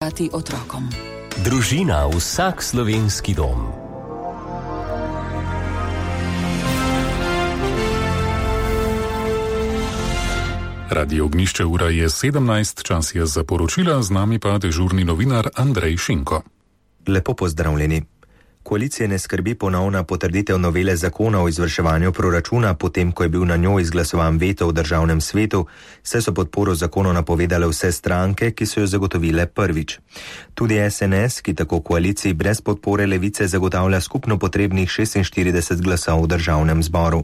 otrokom. Družina, vsak slovenski dom. Radio Ognjišče, ura je 17, čas je za poročila, z nami pa dežurni novinar Andrej Šinko. Lepo pozdravljeni. Koalicije ne skrbi ponovna potrditev novele zakona o izvrševanju proračuna, potem ko je bil na njo izglasovan veto v državnem svetu, saj so podporo zakonu napovedale vse stranke, ki so jo zagotovile prvič. Tudi SNS, ki tako koaliciji brez podpore Levice zagotavlja skupno potrebnih 46 glasov v državnem zboru.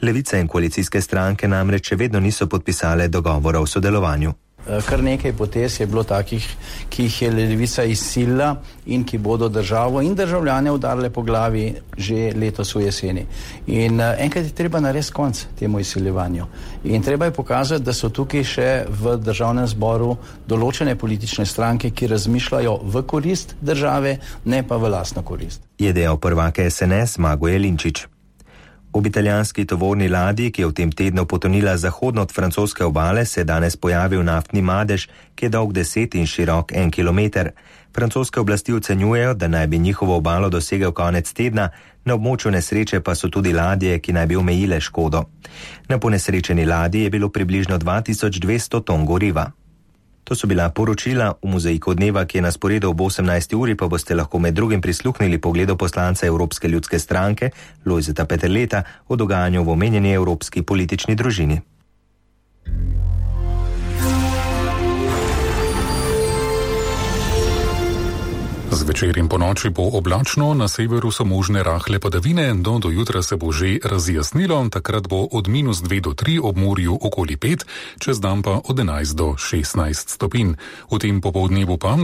Levica in koalicijske stranke namreč še vedno niso podpisale dogovora o sodelovanju. Kar nekaj potez je bilo takih, ki jih je Levica izsilila in ki bodo državo in državljane udarile po glavi že letos v jeseni. In enkrat je treba narediti konec temu izsiljevanju. In treba je pokazati, da so tukaj še v državnem zboru določene politične stranke, ki razmišljajo v korist države, ne pa v lastno korist. Je dejal prvak SNS Mago Jelinčič. Ob italijanski tovorni ladji, ki je v tem tednu potonila zahodno od francoske obale, se je danes pojavil naftni madež, ki je dolg 10 in širok 1 kilometer. Francoske oblasti ocenjujejo, da naj bi njihovo obalo dosegel konec tedna, na območju nesreče pa so tudi ladje, ki naj bi omejile škodo. Na ponesrečeni ladji je bilo približno 2200 ton goriva. To so bila poročila. V mozaiku dneva, ki je na sporedu ob 18. uri, pa boste lahko med drugim prisluhnili pogledu poslanca Evropske ljudske stranke Lojzeta Peterleta o dogajanju v omenjeni evropski politični družini. Zvečer in ponoči bo oblačno, na severu so možne rahle padavine, do jutra se bo že razjasnilo, takrat bo od -2 do 3 ob morju okoli 5, čez dan pa od 11 do 16 stopinj. V tem popoldnevu pa